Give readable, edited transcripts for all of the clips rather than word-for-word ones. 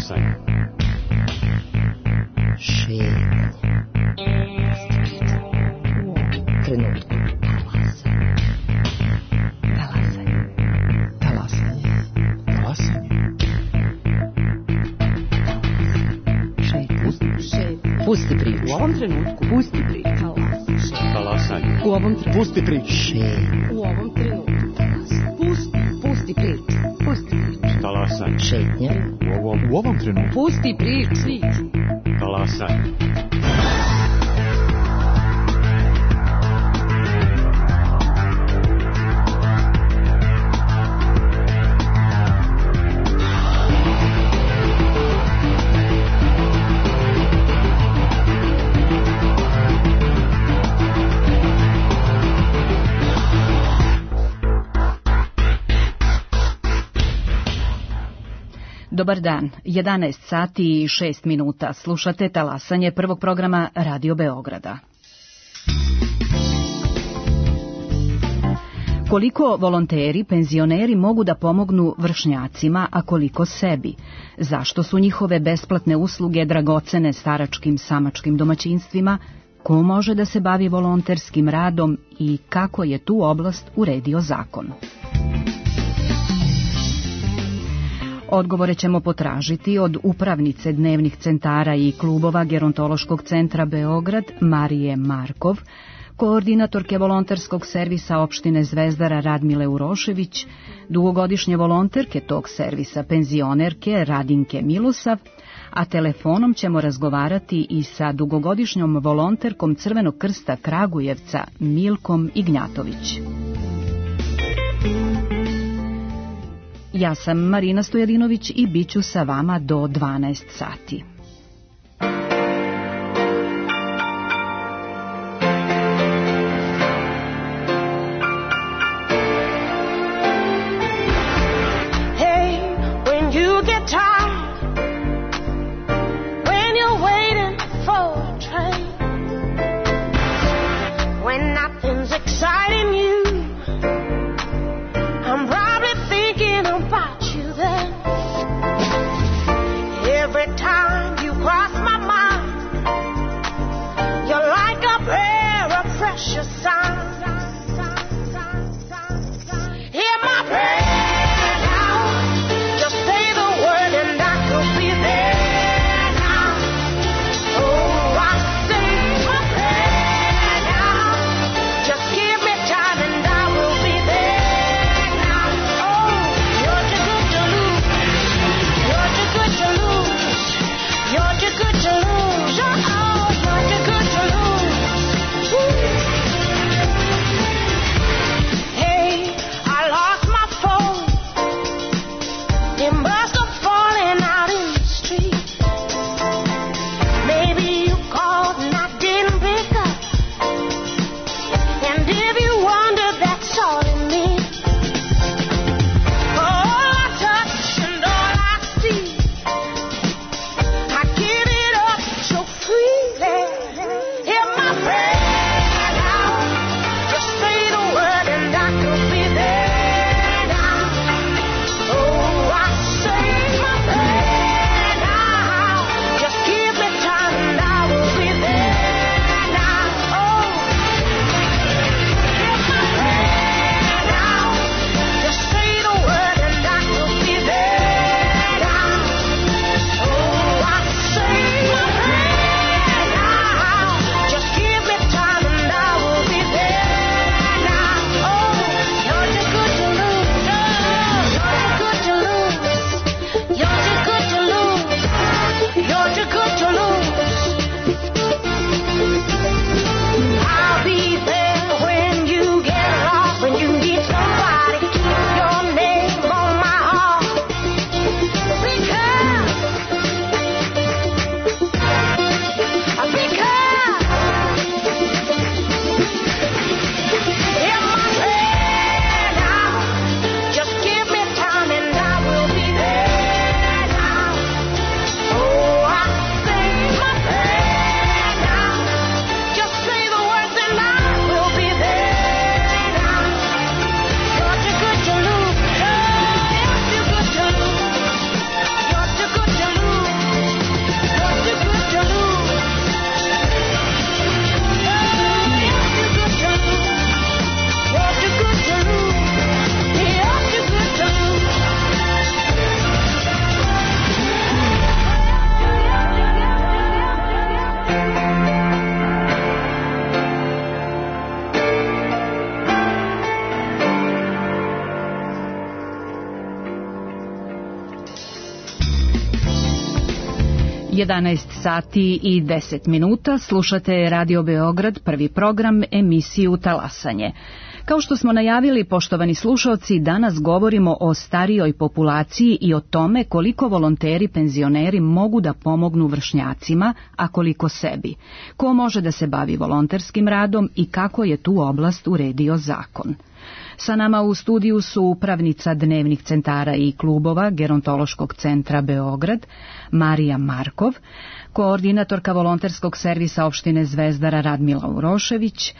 Talasaj. Šetnje. U ovom trenutku. Pusti priču. U ovom trenutku. Pusti priču. Talasanje. U ovom trenutku. Pusti priču. U ovom trenutku. Pusti priču. Pusti priču. Talasanje. Šetnje. U ovom trenutku. Pusti priču. Talasanje. Dobar dan, 11 sati i 6 minuta. Slušate Talasanje prvog programa Radio Beograda. Koliko volonteri, penzioneri mogu da pomognu vršnjacima, a koliko sebi? Zašto su njihove besplatne usluge dragocene staračkim samačkim domaćinstvima? Ko može da se bavi volonterskim radom i kako je tu oblast uredio zakon? Odgovore ćemo potražiti od upravnice dnevnih centara i klubova Gerontološkog centra Beograd, Marije Markov, koordinatorke volonterskog servisa opštine Zvezdara Radmile Urošević, dugogodišnje volonterke tog servisa penzionerke Radinke Milusav, a telefonom ćemo razgovarati i sa dugogodišnjom volonterkom Crvenog krsta Kragujevca Milkom Ignjatović. Ja sam Marina Stojadinović i bit ću sa vama do 12 sati. Every time 11 sati i 10 minuta, slušate Radio Beograd, prvi program, emisiju Talasanje. Kao što smo najavili, poštovani slušalci, danas govorimo o starijoj populaciji i o tome koliko volonteri penzioneri mogu da pomognu vršnjacima, a koliko sebi. Ko može da se bavi volonterskim radom i kako je tu oblast uredio zakon. Sa nama u studiju su upravnica dnevnih centara i klubova Gerontološkog centra Beograd, Marija Markov, koordinatorka volonterskog servisa opštine Zvezdara Radmila Urošević,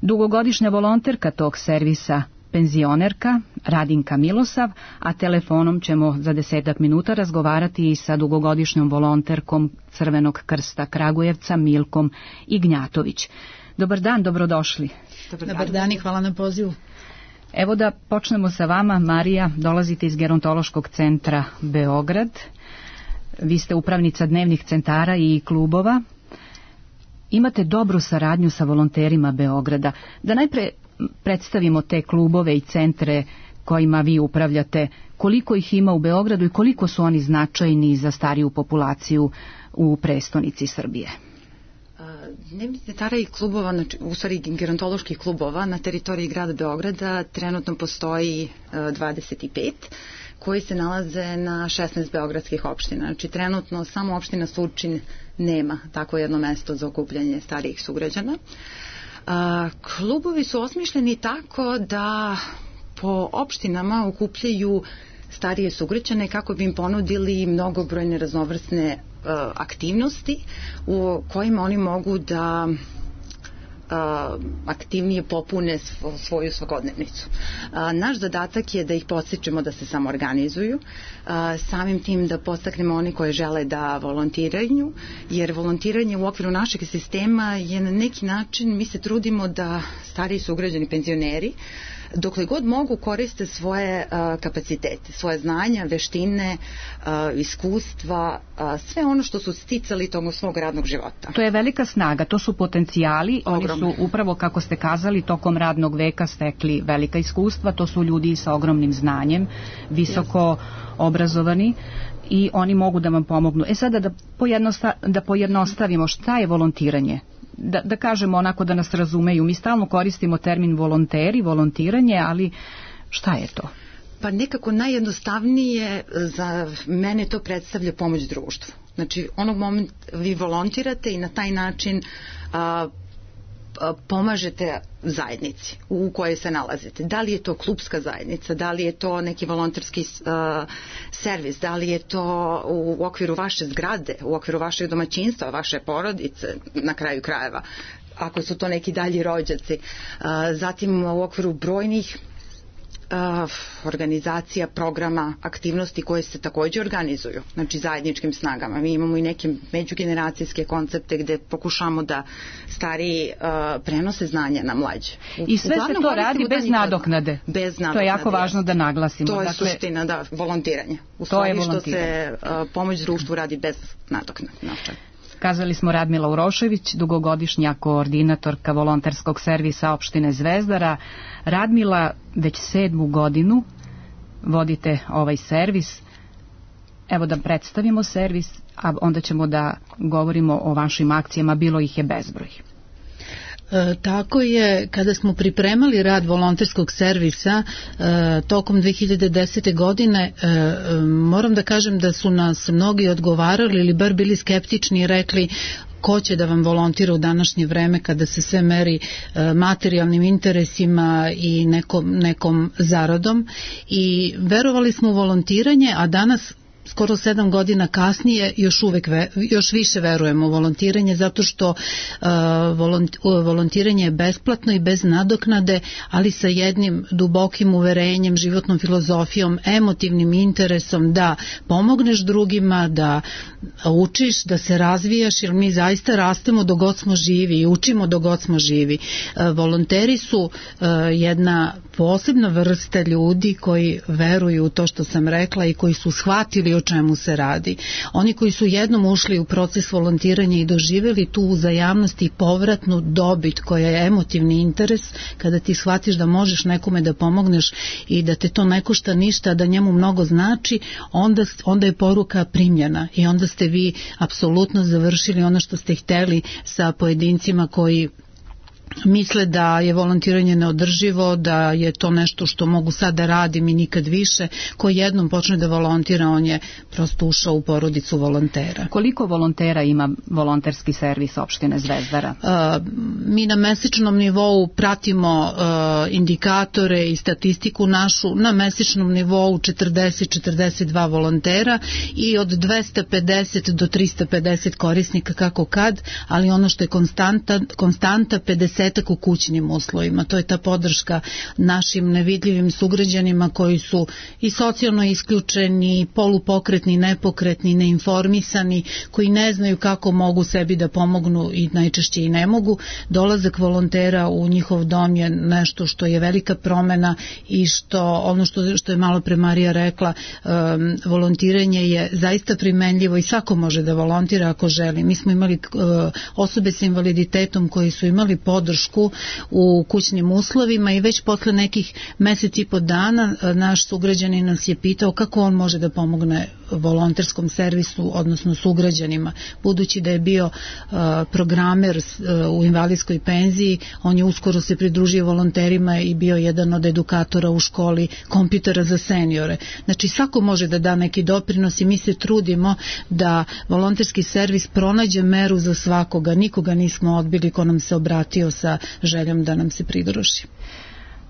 dugogodišnja volonterka tog servisa, penzionerka Radinka Milosav, a telefonom ćemo za 10 minuta razgovarati i sa dugogodišnjom volonterkom Crvenog krsta Kragujevca Milkom Ignjatović. Dobar dan, dobrodošli. Dobar dan i hvala na pozivu. Evo da počnemo sa vama, Marija, dolazite iz Gerontološkog centra Beograd. Vi ste upravnica dnevnih centara i klubova. Imate dobru saradnju sa volonterima Beograda. Da najpre predstavimo te klubove i centre kojima vi upravljate, koliko ih ima u Beogradu i koliko su oni značajni za stariju populaciju u prestonici Srbije. Dnevnih centara i klubova, u stvari gerontoloških klubova na teritoriji grada Beograda trenutno postoji 25 koji se nalaze na 16 beogradskih opština. Znači trenutno samo opština Surčin nema tako jedno mesto za okupljanje starijih sugrađana. Klubovi su osmišljeni tako da po opštinama okupljaju starije sugrađane kako bi im ponudili mnogobrojne raznovrsne aktivnosti u kojima oni mogu da aktivnije popune svoju svakodnevnicu. Naš zadatak je da ih podstičemo da se samoorganizuju, samim tim da podstaknemo oni koji žele da volontiraju, jer volontiranje u okviru našeg sistema je na neki način, mi se trudimo da stariji sugrađani penzioneri dokle god mogu koriste svoje kapacitete, svoje znanja, veštine, iskustva, sve ono što su sticali tokom svog radnog života. To je velika snaga, to su potencijali, oni su upravo, kako ste kazali, tokom radnog veka stekli velika iskustva, to su ljudi sa ogromnim znanjem, visoko obrazovani i oni mogu da vam pomognu. Sada da pojednostavimo, šta je volontiranje? Da kažemo onako da nas razumeju, mi stalno koristimo termin volonteri, volontiranje, ali šta je to? Pa nekako najjednostavnije za mene to predstavlja pomoć društvu. Znači onog momenta vi volontirate i na taj način pomažete zajednici u kojoj se nalazite. Da li je to klubska zajednica, da li je to neki volonterski servis, da li je to u okviru vaše zgrade, u okviru vašeg domaćinstva, vaše porodice, na kraju krajeva, ako su to neki dalji rođaci. Zatim u okviru brojnih organizacija, programa, aktivnosti koje se takođe organizuju, znači zajedničkim snagama. Mi imamo i neke međugeneracijske koncepte gde pokušamo da stariji prenose znanja na mlađe. I sve se to radi bez nadoknade. Bez nadoknade. To je jako važno da naglasimo. To je suština, da, volontiranje. U stvari što se pomoć društvu radi bez nadoknade. Kazali smo Radmila Urošević, dugogodišnja koordinatorka volonterskog servisa opštine Zvezdara. Radmila, već 7. godinu vodite ovaj servis. Evo da predstavimo servis, a onda ćemo da govorimo o vašim akcijama, bilo ih je bezbroj. Tako je, kada smo pripremali rad volonterskog servisa tokom 2010. godine, moram da kažem da su nas mnogi odgovarali ili bar bili skeptični i rekli ko će da vam volontira u današnje vreme kada se sve meri materijalnim interesima i nekom zaradom, i verovali smo u volontiranje, a danas skoro 7 godina kasnije još više verujemo u volontiranje, zato što volontiranje je besplatno i bez nadoknade, ali sa jednim dubokim uverenjem, životnom filozofijom, emotivnim interesom da pomogneš drugima, da učiš, da se razvijaš, jer mi zaista rastemo dok god smo živi i učimo dok god smo živi. Volonteri su jedna posebna vrsta ljudi koji veruju u to što sam rekla i koji su shvatili o čemu se radi. Oni koji su jednom ušli u proces volontiranja i doživjeli tu uzajamnost i povratnu dobit koja je emotivni interes, kada ti shvatiš da možeš nekome da pomogneš i da te to ne košta ništa, da njemu mnogo znači, onda je poruka primljena i onda ste vi apsolutno završili ono što ste hteli sa pojedincima koji misle da je volontiranje neodrživo, da je to nešto što mogu sad da radim i nikad više. Ko jednom počne da volontira, on je prosto ušao u porodicu volontera. Koliko volontera ima volonterski servis opštine Zvezdara? Mi na mesečnom nivou pratimo indikatore i statistiku našu. Na mesečnom nivou 40-42 volontera i od 250 do 350 korisnika kako kad, ali ono što je konstanta 50 u kućnim uslovima. To je ta podrška našim nevidljivim sugrađanima koji su i socijalno isključeni, polupokretni, nepokretni, neinformisani, koji ne znaju kako mogu sebi da pomognu i najčešće i ne mogu. Dolazak volontera u njihov dom je nešto što je velika promena i ono što je malo pre Marija rekla, volontiranje je zaista primenljivo i svako može da volontira ako želi. Mi smo imali osobe sa invaliditetom koji su imali podršku u kućnim uslovima i već posle nekih mesec i po dana naš sugrađanin nas je pitao kako on može da pomogne volonterskom servisu, odnosno sugrađanima. Budući da je bio programer u invalidskoj penziji, on je uskoro se pridružio volonterima i bio jedan od edukatora u školi kompjutera za seniore. Znači svako može da da neki doprinos i mi se trudimo da volonterski servis pronađe meru za svakoga. Nikoga nismo odbili ko nam se obratio sa željom da nam se pridruži.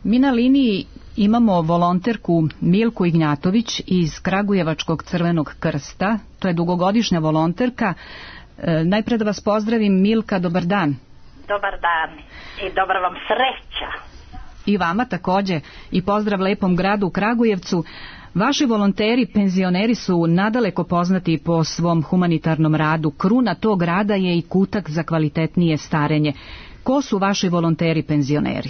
Mi na liniji imamo volonterku Milku Ignjatović iz Kragujevačkog Crvenog krsta. To je dugogodišnja volonterka. Najpre da vas pozdravim, Milka, dobar dan. Dobar dan i dobra vam sreća. I vama takođe i pozdrav lepom gradu Kragujevcu. Vaši volonteri, penzioneri su nadaleko poznati po svom humanitarnom radu. Kruna tog rada je i kutak za kvalitetnije starenje. Ko su vaši volonteri penzioneri?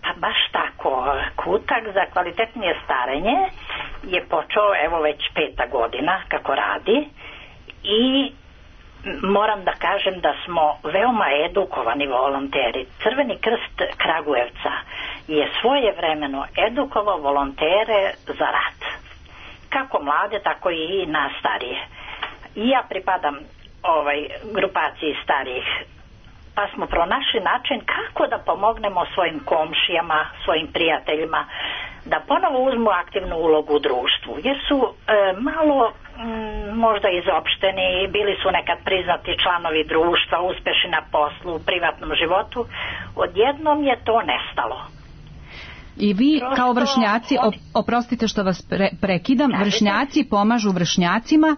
Pa baš tako. Kutak za kvalitetnije starenje je počeo evo već 5. godina kako radi i moram da kažem da smo veoma edukovani volonteri. Crveni krst Kragujevca je svojevremeno edukovao volontere za rad. Kako mlade, tako i nas starije. I ja pripadam grupaciji starijih, pa smo pronašli način kako da pomognemo svojim komšijama, svojim prijateljima, da ponovo uzmu aktivnu ulogu u društvu, jer su malo možda izopšteni, bili su nekad priznati članovi društva, uspešni na poslu, u privatnom životu, odjednom je to nestalo. I vi kao vršnjaci, oprostite što vas prekidam, vršnjaci pomažu vršnjacima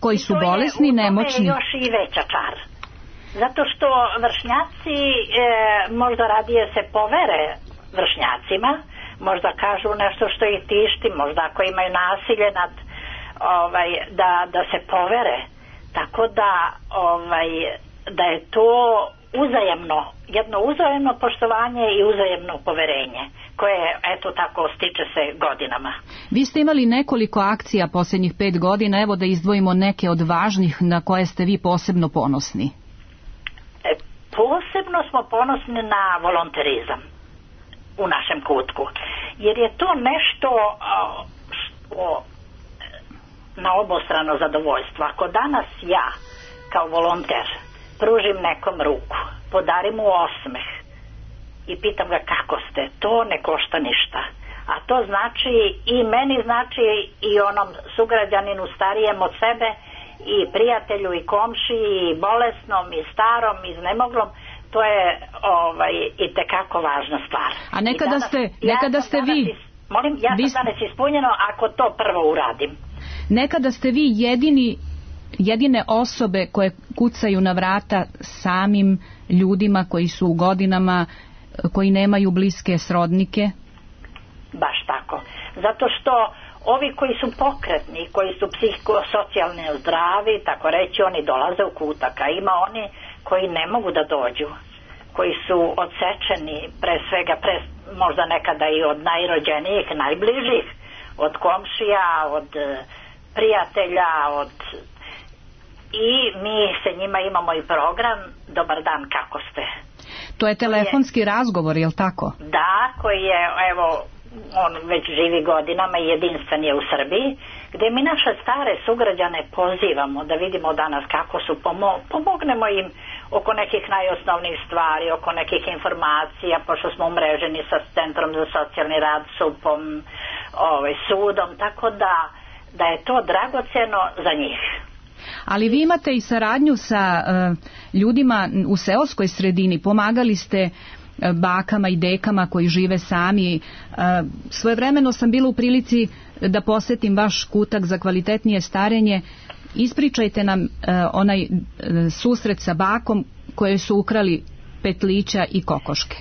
koji su bolesni, nemoćni. To je još i veća čar. Zato što vršnjaci možda radije se povere vršnjacima, možda kažu nešto što ih tišti, možda ako imaju nasilje da se povere. Tako da je to uzajemno, jedno uzajemno poštovanje i uzajemno poverenje koje eto tako stiče se godinama. Vi ste imali nekoliko akcija posljednjih 5 godina, evo da izdvojimo neke od važnih na koje ste vi posebno ponosni. Posebno smo ponosni na volonterizam u našem kutku, jer je to nešto na obostrano zadovoljstvo. Ako danas ja kao volonter pružim nekom ruku, podarim mu osmeh i pitam ga kako ste, to ne košta ništa. A to znači i meni, znači i onom sugrađaninu starijem od sebe, i prijatelju i komši, i bolesnom i starom i iznemoglom. To je itekako važna stvar. A nekada ste vi... Molim, ja sam danas ispunjeno ako to prvo uradim. Nekada ste vi jedine osobe koje kucaju na vrata samim ljudima koji su u godinama, koji nemaju bliske srodnike? Baš tako. Zato što ovi koji su pokretni, koji su psihosocijalno zdravi, tako reći, oni dolaze u kutak, a ima oni koji ne mogu da dođu, koji su odsečeni pre svega, možda nekada i od najrođenijih, najbližih, od komšija, od prijatelja, i mi se njima imamo i program Dobar dan, kako ste? To je telefonski razgovor, je li tako? Da, koji je, evo, on već živi godinama i jedinstven je u Srbiji, gdje mi naše stare sugrađane pozivamo da vidimo danas kako su, pomognemo im oko nekih najosnovnijih stvari, oko nekih informacija, pošto smo umreženi sa Centrom za socijalni rad, SUP-om, sudom, tako da je to dragocjeno za njih. Ali vi imate i saradnju sa ljudima u seoskoj sredini, pomagali ste bakama i dekama koji žive sami. Svojevremeno sam bila u prilici da posetim vaš kutak za kvalitetnije starenje. Ispričajte nam onaj susret sa bakom koje su ukrali petlića i kokoške.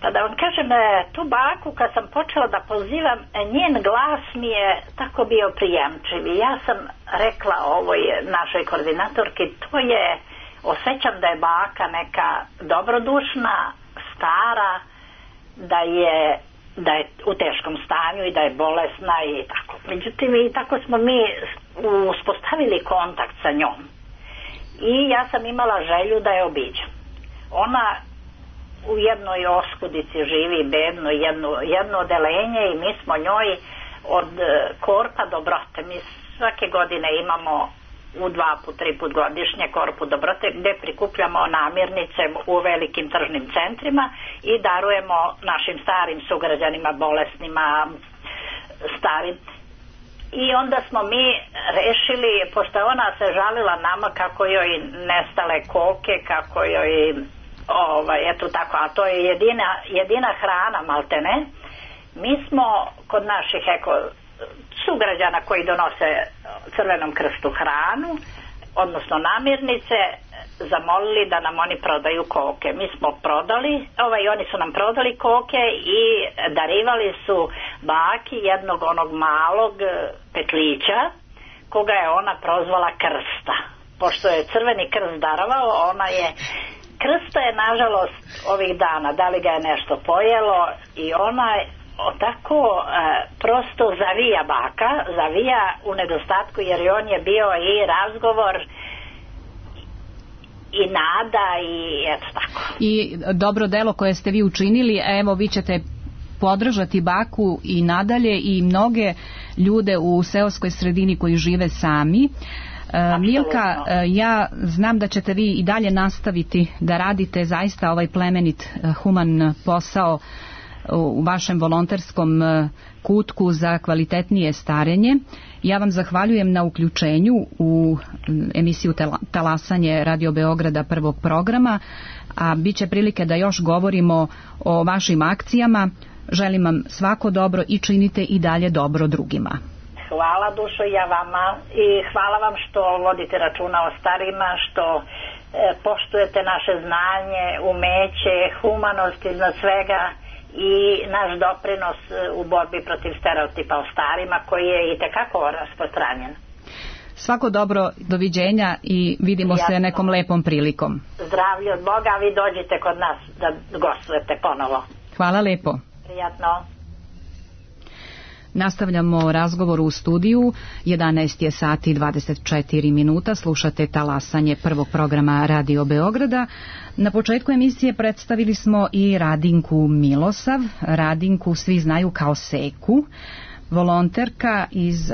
Pa da vam kažem, tu baku kad sam počela da pozivam, njen glas mi je tako bio prijemčiv i ja sam rekla ovoj našoj koordinatorki, osjećam da je baka neka dobrodušna, stara, da je u teškom stanju i da je bolesna i tako. Međutim, i tako smo mi uspostavili kontakt sa njom. I ja sam imala želju da je obiđem. Ona u jednoj oskudici živi, bedno, jedno odelenje i mi smo njoj od Korpa Dobrote. Mi svake godine imamo u 2-3 put godišnje Korpu Dobrote gdje prikupljamo namirnice u velikim tržnim centrima i darujemo našim starim sugrađanima, bolesnima, starim. I onda smo mi rešili, pošto ona se žalila nama kako joj nestale koke, kako joj eto tako, a to je jedina hrana maltene. Mi smo kod naših sugrađana koji donose Crvenom krstu hranu, odnosno namirnice, zamolili da nam oni prodaju koke. Mi smo prodali, oni su nam prodali koke i darivali su baki jednog onog malog petlića koga je ona prozvala Krsta. Pošto je Crveni krst darovao, Krsta je nažalost ovih dana, da li ga je nešto pojelo i ona je tako prosto zavija u nedostatku, jer i on je bio i razgovor i nada i eto tako. I dobro delo koje ste vi učinili, evo vi ćete podržati baku i nadalje i mnoge ljude u seoskoj sredini koji žive sami. Milka, ja znam da ćete vi i dalje nastaviti da radite zaista ovaj plemenit, human posao u vašem volonterskom kutku za kvalitetnije starenje. Ja vam zahvaljujem na uključenju u emisiju Talasanje Radio Beograda prvog programa, a bit će prilike da još govorimo o vašim akcijama. Želim vam svako dobro i činite i dalje dobro drugima. Hvala dušo ja vama i hvala vam što vodite računa o starima, što poštujete naše znanje, umeće, humanost iznad svega i naš doprinos u borbi protiv stereotipa o starima koji je i tekako rasprostranjen. Svako dobro, doviđenja i vidimo se nekom lepom prilikom. Zdravlje od Boga, vi dođite kod nas da gostujete ponovo. Hvala lepo. Prijatno. Nastavljamo razgovor u studiju, 11 je sati i 24 minuta, slušate Talasanje prvog programa Radio Beograda. Na početku emisije predstavili smo i Radinku Milosav, Radinku svi znaju kao Seku, volonterka iz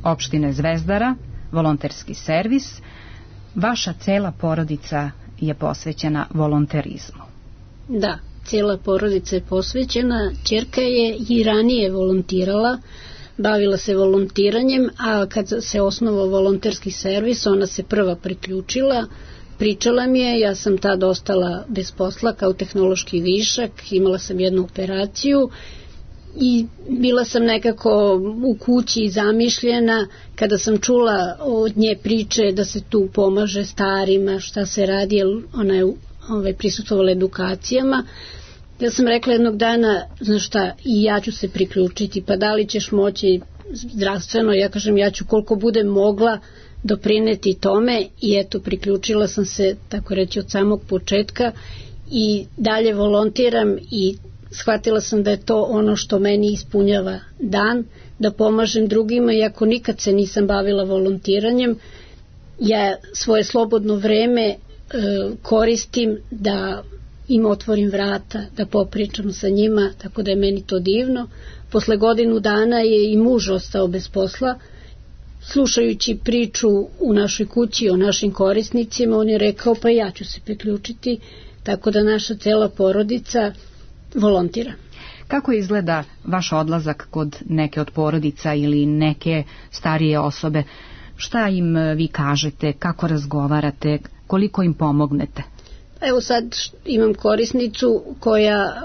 opštine Zvezdara, volonterski servis. Vaša cela porodica je posvećena volonterizmu. Da. Cijela porodica je posvećena, ćerka je i ranije volontirala, bavila se volontiranjem, a kad se osnovao volonterski servis, ona se prva priključila, pričala mi je, ja sam tad ostala bez posla kao tehnološki višak, imala sam jednu operaciju i bila sam nekako u kući zamišljena kada sam čula od nje priče da se tu pomaže starima, šta se radi, jer ona je prisustvovala edukacijama. Ja sam rekla jednog dana, znaš šta, i ja ću se priključiti, pa da li ćeš moći zdravstveno, ja kažem ja ću koliko budem mogla doprineti tome i eto priključila sam se, tako reći, od samog početka i dalje volontiram i shvatila sam da je to ono što meni ispunjava dan, da pomažem drugima, iako nikad se nisam bavila volontiranjem. Ja svoje slobodno vreme koristim da im otvorim vrata, da popričam sa njima, tako da je meni to divno. Posle godinu dana je i muž ostao bez posla. Slušajući priču u našoj kući o našim korisnicima, on je rekao pa ja ću se priključiti, tako da naša cela porodica volontira. Kako izgleda vaš odlazak kod neke od porodica ili neke starije osobe? Šta im vi kažete, kako razgovarate, koliko im pomognete? Evo sad imam korisnicu koja,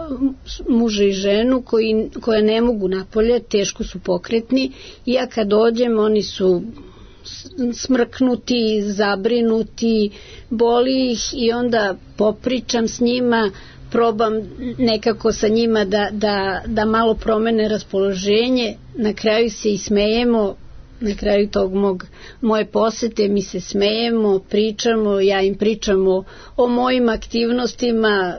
muža i ženu, koja ne mogu napolje, teško su pokretni, i ja kad dođem oni su smrknuti, zabrinuti, boli ih i onda popričam s njima, probam nekako sa njima da malo promene raspoloženje, na kraju se i smejemo. Na kraju tog moje posete mi se smejemo, pričamo, ja im pričamo o mojim aktivnostima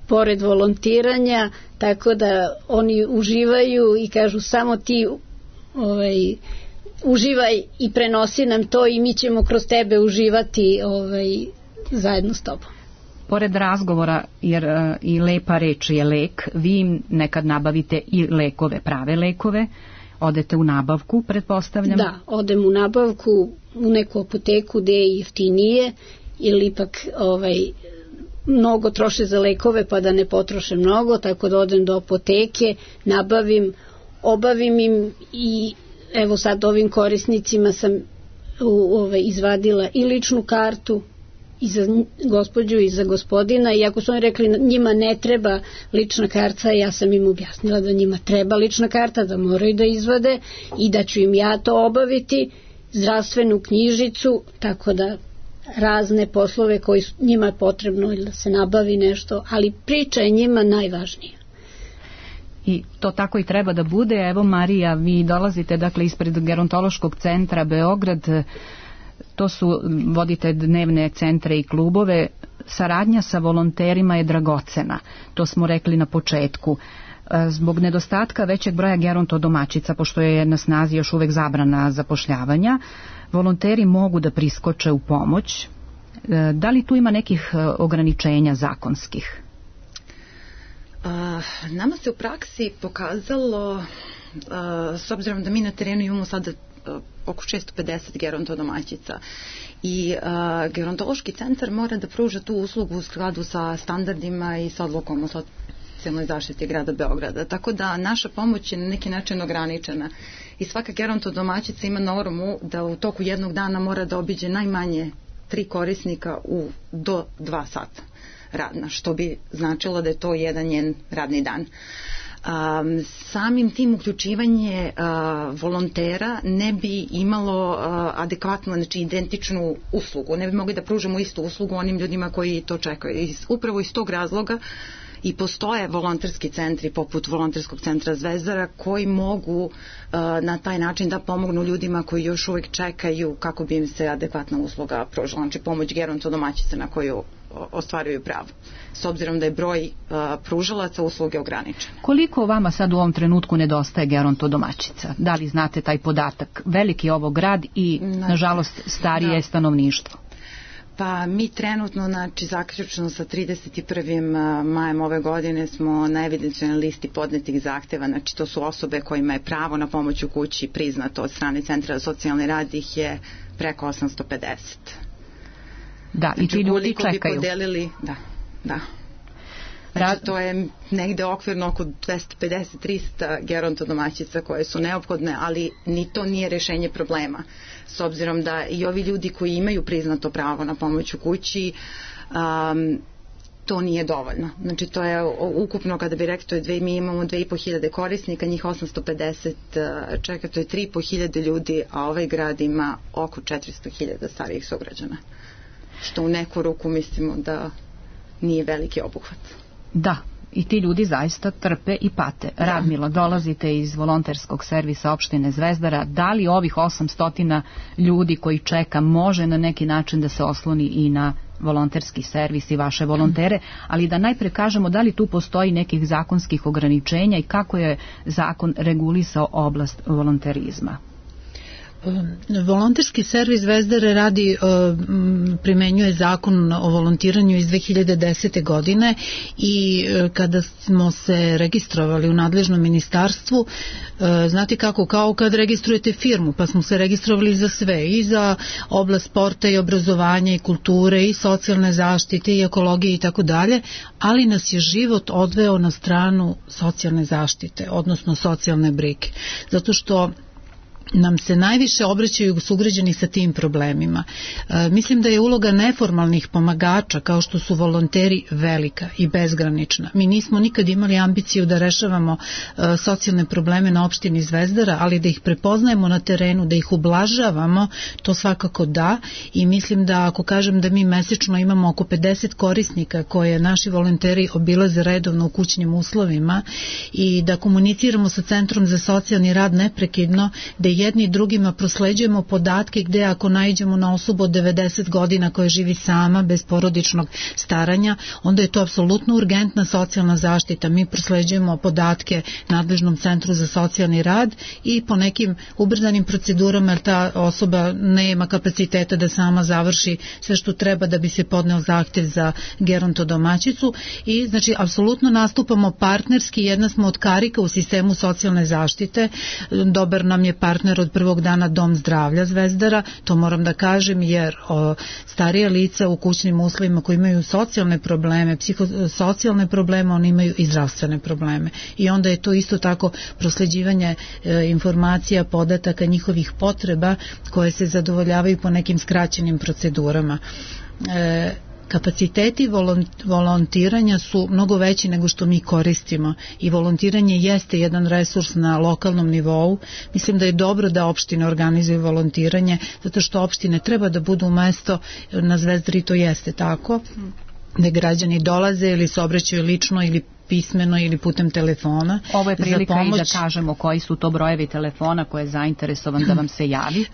pored volontiranja, tako da oni uživaju i kažu samo ti uživaj i prenosi nam to i mi ćemo kroz tebe uživati zajedno s tobom. Pored razgovora, jer i lepa reč je lek, vi im nekad nabavite i lekove, prave lekove. Odete u nabavku, pretpostavljam? Da, odem u nabavku, u neku apoteku gde je jeftinije, ili ipak mnogo troše za lekove pa da ne potroše mnogo, tako da odem do apoteke, nabavim, obavim im i evo sad ovim korisnicima sam izvadila i ličnu kartu i za gospođu i za gospodina, i ako su oni rekli njima ne treba lična karta, ja sam im objasnila da njima treba lična karta, da moraju da izvade i da ću im ja to obaviti, zdravstvenu knjižicu, tako da razne poslove koji njima je potrebno ili da se nabavi nešto, ali priča je njima najvažnija. I to tako i treba da bude. Evo Marija, vi dolazite dakle ispred Gerontološkog centra Beograd, to su, vodite dnevne centre i klubove, saradnja sa volonterima je dragocena, to smo rekli na početku. Zbog nedostatka većeg broja gerontodomaćica, pošto je na snazi još uvek zabrana zapošljavanja, volonteri mogu da priskoče u pomoć. Da li tu ima nekih ograničenja zakonskih? Nama se u praksi pokazalo, s obzirom da mi na terenu imamo sada oko 650 gerontodomaćica i gerontološki centar mora da pruža tu uslugu u skladu sa standardima i sa odlukom o socijalnoj zaštiti grada Beograda. Tako da naša pomoć je na neki način ograničena i svaka gerontodomaćica ima normu da u toku jednog dana mora da obiđe najmanje 3 korisnika do 2 sata radna, što bi značilo da je to jedan njen radni dan. Samim tim uključivanje volontera ne bi imalo adekvatno, znači identičnu uslugu, ne bi mogli da pružamo istu uslugu onim ljudima koji to čekaju. Upravo iz tog razloga i postoje volonterski centri poput volonterskog centra Zvezdara koji mogu na taj način da pomognu ljudima koji još uvijek čekaju kako bi im se adekvatna usluga pružila, znači pomoć gerontodomaćica na koju ostvaruju pravo, s obzirom da je broj pružalaca usluge ograničen. Koliko vama sad u ovom trenutku nedostaje gerontodomaćica? Da li znate taj podatak? Veliki je ovo grad i nažalost starije je stanovništvo. Pa mi trenutno, znači zaključno sa 31. majem ove godine smo na evidencionalnoj listi podnetih zahteva, znači to su osobe kojima je pravo na pomoć u kući priznato od strane Centra za socijalni rad, ih je preko 850. Da, znači, i ti ljudi čekaju. Bi podelili, da. Znači, to je negde okvirno oko 250-300 gerontodomaćica koje su neophodne, ali ni to nije rešenje problema. S obzirom da i ovi ljudi koji imaju priznato pravo na pomoć u kući, to nije dovoljno. Znači, to je ukupno, kada bi rekli, mi imamo 2500 korisnika, njih 850 čeka, to je 3500 ljudi, a ovaj grad ima oko 400.000 starijih sugrađana. Što u neku ruku mislimo da nije veliki obuhvat. Da, i ti ljudi zaista trpe i pate. Radmila, dolazite iz volonterskog servisa opštine Zvezdara. Da li ovih 800 ljudi koji čeka može na neki način da se osloni i na volonterski servis i vaše volontere, ali da najpre kažemo da li tu postoji nekih zakonskih ograničenja i kako je zakon regulisao oblast volonterizma. Volonterski servis Zvezdare radi, primenjuje zakon o volontiranju iz 2010. godine i kada smo se registrovali u nadležnom ministarstvu, znate kako, kao kad registrujete firmu, pa smo se registrovali za sve, i za oblast sporta i obrazovanja i kulture i socijalne zaštite i ekologije i tako dalje, ali nas je život odveo na stranu socijalne zaštite, odnosno socijalne brige, zato što nam se najviše obraćaju sugrađani sa tim problemima. Mislim da je uloga neformalnih pomagača, kao što su volonteri, velika i bezgranična. Mi nismo nikad imali ambiciju da rešavamo socijalne probleme na opštini Zvezdara, ali da ih prepoznajemo na terenu, da ih ublažavamo, to svakako da, i mislim da ako kažem da mi mesečno imamo oko 50 korisnika koje naši volonteri obilaze redovno u kućnim uslovima i da komuniciramo sa Centrom za socijalni rad neprekidno, da jedni drugima prosleđujemo podatke gde ako naiđemo na osobu od 90 godina koja živi sama, bez porodičnog staranja, onda je to apsolutno urgentna socijalna zaštita. Mi prosleđujemo podatke nadležnom Centru za socijalni rad i po nekim ubrzanim procedurama, jer ta osoba nema kapaciteta da sama završi sve što treba da bi se podneo zahtev za gerontodomaćicu, i znači apsolutno nastupamo partnerski, jedna smo od karika u sistemu socijalne zaštite. Dobar nam je partner od prvog dana Dom zdravlja Zvezdara, to moram da kažem, jer starija lica u kućnim uslovima koji imaju socijalne probleme, psihosocijalne probleme, oni imaju i zdravstvene probleme, i onda je to isto tako prosleđivanje informacija, podataka, njihovih potreba koje se zadovoljavaju po nekim skraćenim procedurama. Kapaciteti volontiranja su mnogo veći nego što mi koristimo i volontiranje jeste jedan resurs na lokalnom nivou. Mislim da je dobro da opštine organizuju volontiranje, zato što opštine treba da budu mesto, na Zvezdari to jeste tako, da građani dolaze ili se obraćaju lično ili pismeno ili putem telefona. Ovo je prilika i da kažemo koji su to brojevi telefona koje je zainteresovan da vam se javi.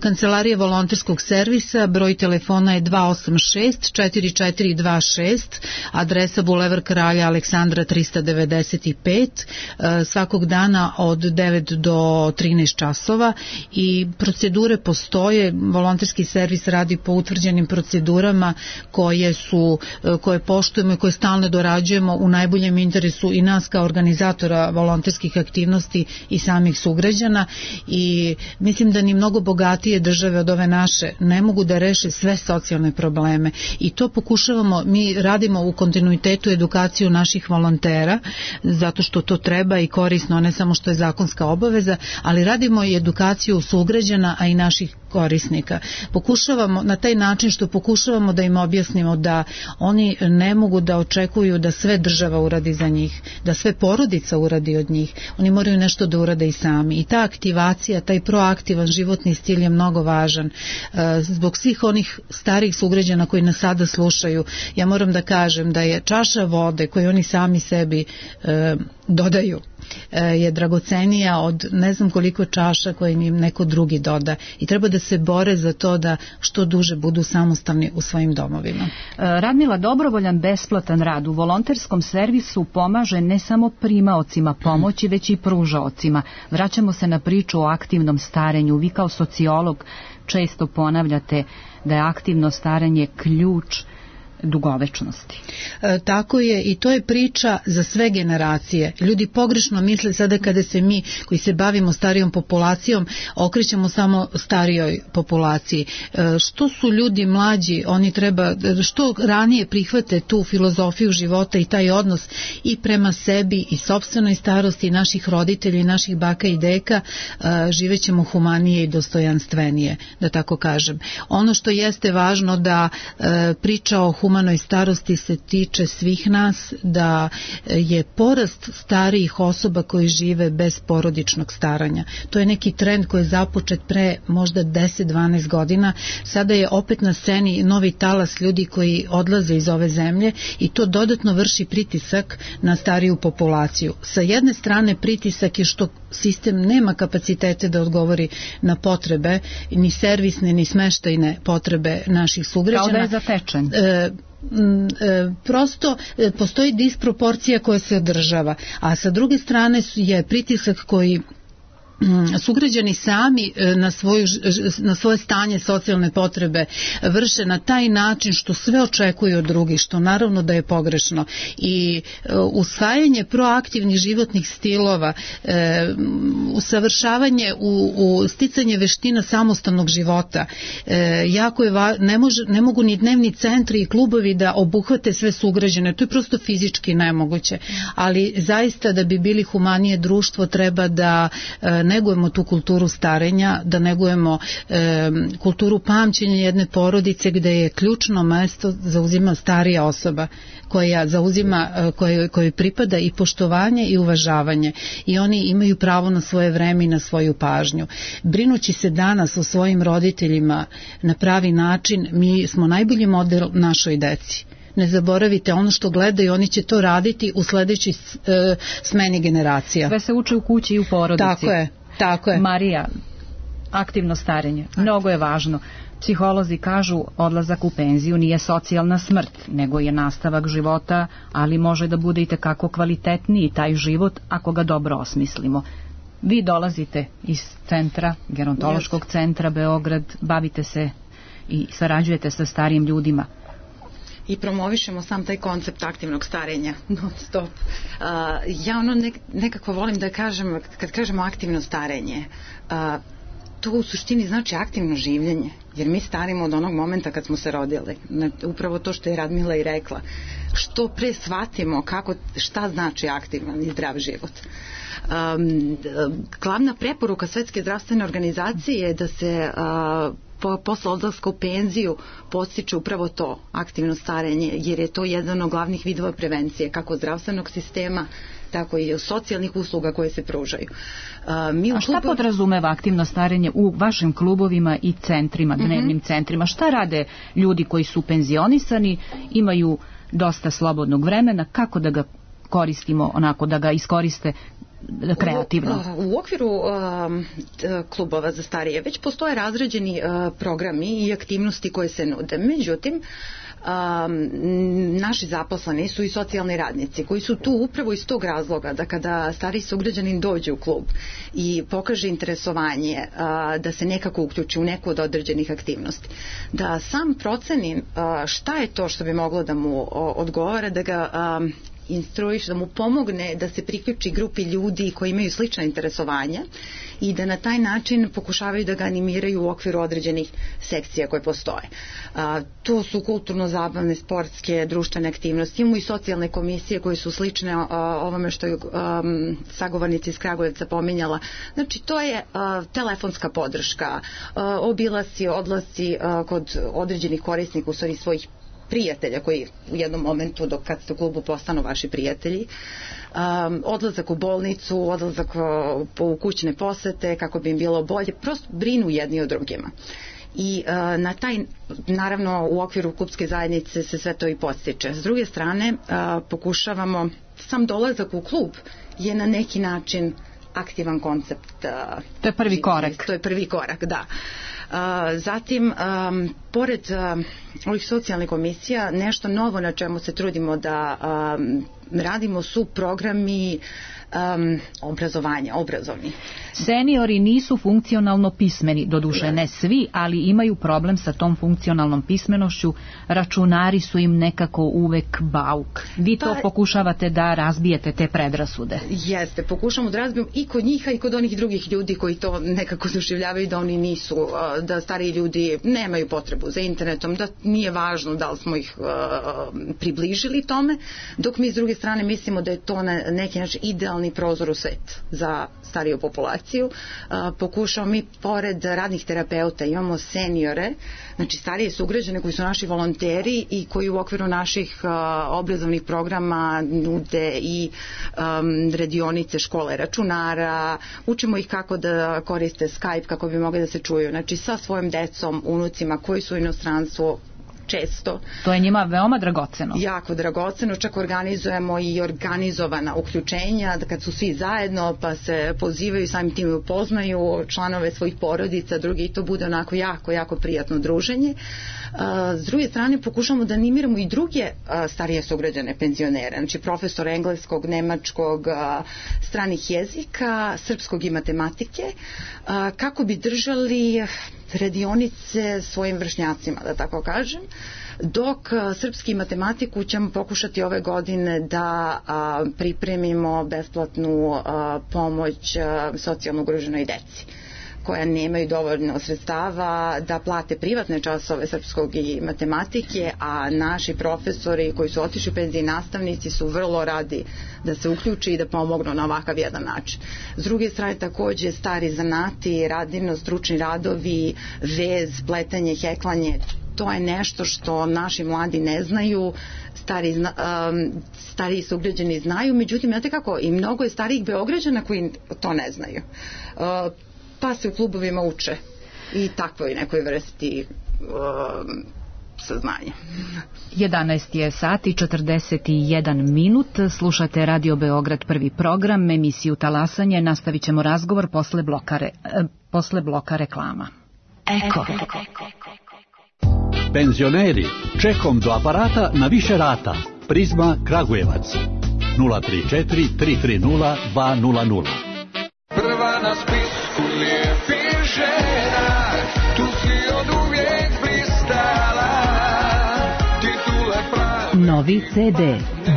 Kancelarija volonterskog servisa, broj telefona je 286-4426, adresa Bulevar Kralja Aleksandra 395, svakog dana od 9 do 13 časova, i procedure postoje. Volonterski servis radi po utvrđenim procedurama koje poštujemo i koje stalno dorađujemo u najboljem interesu i nas kao organizatora volonterskih aktivnosti i samih sugrađana, i mislim da ni mnogo bogatije države od ove naše ne mogu da reše sve socijalne probleme, i to pokušavamo. Mi radimo u kontinuitetu edukaciju naših volontera, zato što to treba i korisno, ne samo što je zakonska obaveza, ali radimo i edukaciju sugrađana, a i naših korisnika. Pokušavamo na taj način što pokušavamo da im objasnimo da oni ne mogu da očekuju da sve država uradi za njih, da sve porodica uradi od njih. Oni moraju nešto da urade i sami. I ta aktivacija, taj proaktivan životni stil je mnogo važan. Zbog svih onih starih sugrađana koji nas sada slušaju, ja moram da kažem da je čaša vode koju oni sami sebi dodaju je dragocenija od ne znam koliko čaša koje im neko drugi doda, i treba da se bore za to da što duže budu samostalni u svojim domovima. Radmila, dobrovoljan besplatan rad u volonterskom servisu pomaže ne samo primaocima pomoći, već i pružaocima. Vraćamo se na priču o aktivnom starenju. Vi kao sociolog često ponavljate da je aktivno starenje ključ dugovečnosti. Tako je, i to je priča za sve generacije. Ljudi pogrešno misle sada kada se mi koji se bavimo starijom populacijom okrećemo samo starijoj populaciji. Što su ljudi mlađi, oni treba što ranije prihvate tu filozofiju života i taj odnos i prema sebi i sopstvenoj starosti i naših roditelja i naših baka i deka, živećemo humanije i dostojanstvenije, da tako kažem. Ono što jeste važno da priča o humanoj starosti se tiče svih nas, da je porast starijih osoba koji žive bez porodičnog staranja. To je neki trend koji je započet pre možda 10-12 godina. Sada je opet na sceni novi talas ljudi koji odlaze iz ove zemlje i to dodatno vrši pritisak na stariju populaciju. Sa jedne strane pritisak je što sistem nema kapacitete da odgovori na potrebe, ni servisne, ni smeštajne potrebe naših sugrađana. Kao da je zatečen. Prosto postoji disproporcija koja se održava, a sa druge strane je pritisak koji sugrađani sami na svoje stanje socijalne potrebe vrše na taj način što sve očekuju od drugih, što naravno da je pogrešno. I usvajanje proaktivnih životnih stilova, usavršavanje u sticanje veština samostalnog života, jako je ne mogu ni dnevni centri i klubovi da obuhvate sve sugrađane, to je prosto fizički nemoguće, ali zaista da bi bili humanije društvo treba da negujemo tu kulturu starenja, da negujemo kulturu pamćenja jedne porodice gde je ključno mesto zauzima starija osoba koja zauzima, kojoj pripada i poštovanje i uvažavanje i oni imaju pravo na svoje vreme i na svoju pažnju. Brinući se danas o svojim roditeljima na pravi način, mi smo najbolji model našoj deci. Ne zaboravite, ono što gledaju, oni će to raditi u sledećoj smeni generacija. Sve se uče u kući i u porodici. Tako je. Marija, aktivno starenje, mnogo je važno. Psiholozi kažu odlazak u penziju nije socijalna smrt, nego je nastavak života, ali može da bude i tekako kvalitetniji taj život ako ga dobro osmislimo. Vi dolazite iz centra, gerontološkog centra Beograd, bavite se i sarađujete sa starijim ljudima. I promovišemo sam taj koncept aktivnog starenja non stop. Ja nekako volim da kažem, kad kažemo aktivno starenje, to u suštini znači aktivno življenje, jer mi starimo od onog momenta kad smo se rodili. Upravo to što je Radmila i rekla. Što pre shvatimo šta znači aktivan i zdrav život. Glavna preporuka Svetske zdravstvene organizacije je da se posle odlaska u penziju podstiče upravo to, aktivno starenje, jer je to jedan od glavnih vidova prevencije, kako zdravstvenog sistema, tako i socijalnih usluga koje se pružaju. A šta podrazumeva aktivno starenje u vašim klubovima i centrima, dnevnim centrima? Šta rade ljudi koji su penzionisani, imaju dosta slobodnog vremena, kako da ga koristimo, onako da ga iskoriste kreativno? U okviru klubova za starije već postoje razrađeni programi i aktivnosti koje se nude. Međutim, naši zaposleni su i socijalni radnici koji su tu upravo iz tog razloga da kada stariji sugrađanin dođe u klub i pokaže interesovanje da se nekako uključi u neku od određenih aktivnosti, da sam proceni šta je to što bi moglo da mu odgovara, da ga instruiš, da mu pomogne da se priključi grupi ljudi koji imaju slična interesovanja i da na taj način pokušavaju da ga animiraju u okviru određenih sekcija koje postoje. To su kulturno-zabavne, sportske, društvene aktivnosti. Imamo i socijalne komisije koje su slične ovome što je sagovornica iz Kragujevca pominjala. Znači, to je telefonska podrška, obilasci, odlasci kod određenih korisnika, u stvari svojih prijatelja koji u jednom momentu dok kad ste u klubu postanu vaši prijatelji, odlazak u bolnicu, odlazak u kućne posete kako bi im bilo bolje, prosto brinu jedni o drugima. I na taj, naravno u okviru klubske zajednice se sve to i podstiče. S druge strane, pokušavamo, sam dolazak u klub je na neki način aktivan koncept. To je prvi korak. To je prvi korak, da. Zatim, pored ovih socijalnih komisija, nešto novo na čemu se trudimo da radimo su programi obrazovni. Seniori nisu funkcionalno pismeni, doduše ne svi, ali imaju problem sa tom funkcionalnom pismenošću. Računari su im nekako uvek bauk. Vi to pokušavate da razbijete, te predrasude. Jeste, pokušamo da razbijemo i kod njih, i kod onih drugih ljudi koji to nekako doživljavaju da oni nisu, da stariji ljudi nemaju potrebu za internetom, da nije važno da li smo ih približili tome, dok mi s druge strane strane mislimo da je to na neki način idealni prozor u svet za stariju populaciju. Pokušamo mi pored radnih terapeuta imamo seniore, znači starije sugrađane koji su naši volonteri i koji u okviru naših obrazovnih programa nude i radionice škole računara, učimo ih kako da koriste Skype kako bi mogli da se čuju, znači sa svojim decom, unucima koji su u inostranstvu često. To je njima veoma dragoceno. Jako dragoceno, čak organizujemo i organizovana uključenja, da kad su svi zajedno pa se pozivaju, samim tim upoznaju članove svojih porodica, drugi, i to bude onako jako prijatno druženje. S druge strane pokušamo da animiramo i druge starije sugrađane penzionere, znači profesor engleskog, nemačkog, stranih jezika, srpskog i matematike, kako bi držali radionice svojim vršnjacima, da tako kažem, dok srpski i matematiku ćemo pokušati ove godine da pripremimo besplatnu pomoć socijalno ugroženoj deci koja nemaju dovoljno sredstava da plate privatne časove srpskog i matematike, a naši profesori koji su otišli u penziji, nastavnici su vrlo radi da se uključi i da pomognu na ovakav jedan način. S druge strane takođe stari zanati, radivno stručni radovi, vez, pletanje, heklanje, to je nešto što naši mladi ne znaju, stariji sugrađani znaju, međutim, znate kako, i mnogo je starijih Beograđana koji to ne znaju. Pa se u klubovima uče i takvoj nekoj vrsti saznanja. 11 je sat i 41 minut. Slušate Radio Beograd prvi program, emisiju Talasanje. Nastavit ćemo razgovor posle bloka reklama. Eko. Penzioneri, čekom do aparata na više rata. Prizma Kragujevac 034 330 200. Prva na spisku lijepih žena, tu si od uvijek blistala, titule pravi. Novi CD,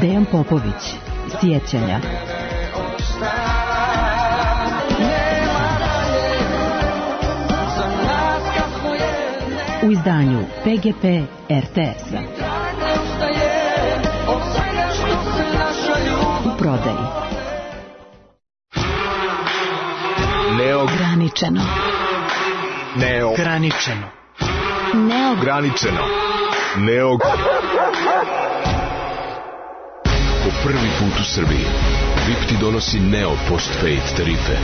Dejan Popović, Sjećanja. U izdanju PGP RTS-a. U prodaji. Neograničeno. Neograničeno. Neograničeno. Po prvi put u Srbiji VIP ti donosi Neo Postpaid tarife.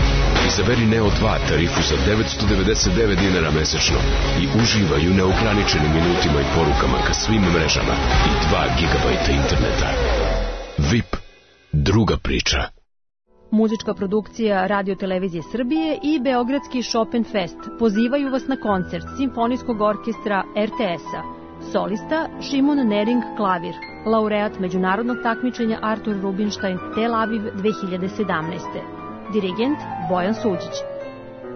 Izaberi Neo 2 tarifu za 999 dinara mesečno i uživaj u neograničenim minutima i porukama ka svim mrežama i 2 gigabajta interneta. VIP, druga priča. Muzička produkcija Radio Televizije Srbije i Beogradski Chopin Fest pozivaju vas na koncert Simfonijskog orkestra RTS-a. Solista Šimon Nering klavir, laureat međunarodnog takmičenja Artur Rubinstein Tel Aviv 2017. Dirigent Bojan Suđić.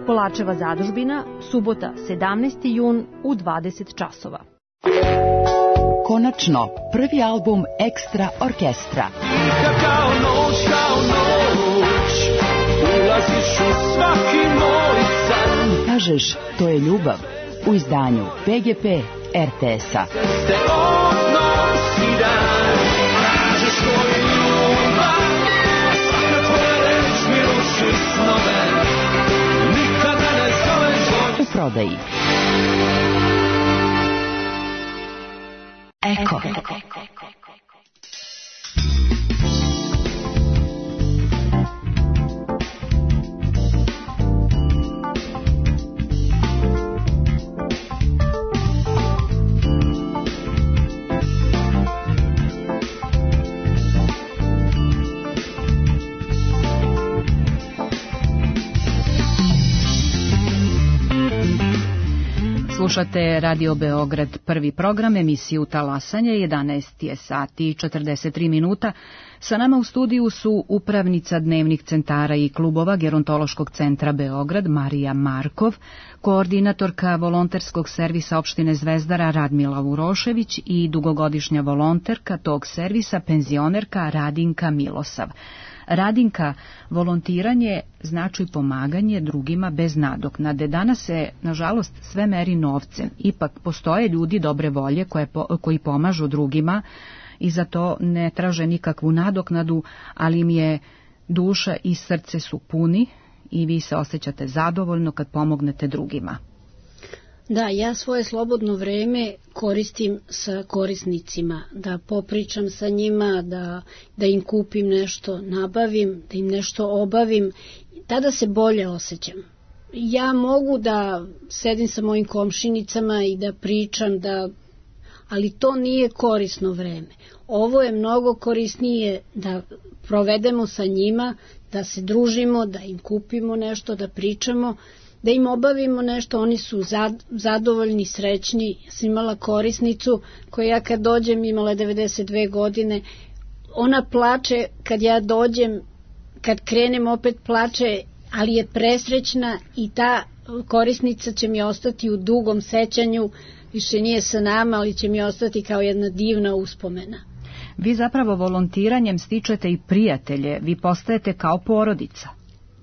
Kolačeva zadužbina, subota 17. jun u 20 časova. Konačno, prvi album Ekstra orkestra. Kao noć, ulaziš u svaki moj san. Kažeš, to je ljubav, u izdanju PGP RTS-a. Te odnosi dan, kažeš to je ljubav, svaka tvoja reč mi ruši snove, nikada ne zoveš. U prodaji. Eko. Slušate Radio Beograd prvi program, emisiju Talasanje, 11 je sati i 43 minuta. Sa nama u studiju su upravnica dnevnih centara i klubova Gerontološkog centra Beograd Marija Markov, koordinatorka volonterskog servisa opštine Zvezdara Radmila Urošević i dugogodišnja volonterka tog servisa penzionerka Radinka Milosav. Radinka, volontiranje znači pomaganje drugima bez nadoknade. Danas se, nažalost, sve meri novcem. Ipak postoje ljudi dobre volje koji pomažu drugima i za to ne traže nikakvu nadoknadu, ali im je duša i srce su puni i vi se osjećate zadovoljno kad pomognete drugima. Da, ja svoje slobodno vreme koristim sa korisnicima, da popričam sa njima, da im kupim nešto, nabavim, da im nešto obavim, tada se bolje osjećam. Ja mogu da sedim sa mojim komšinicama i da pričam, ali to nije korisno vreme. Ovo je mnogo korisnije da provedemo sa njima, da se družimo, da im kupimo nešto, da pričamo, da im obavimo nešto, oni su zadovoljni, srećni. Sam imala korisnicu koja ja kad dođem, imala je 92 godine, ona plače kad ja dođem, kad krenem opet plače, ali je presrećna i ta korisnica će mi ostati u dugom sećanju, više nije sa nama, ali će mi ostati kao jedna divna uspomena. Vi zapravo volontiranjem stičete i prijatelje, vi postajete kao porodica.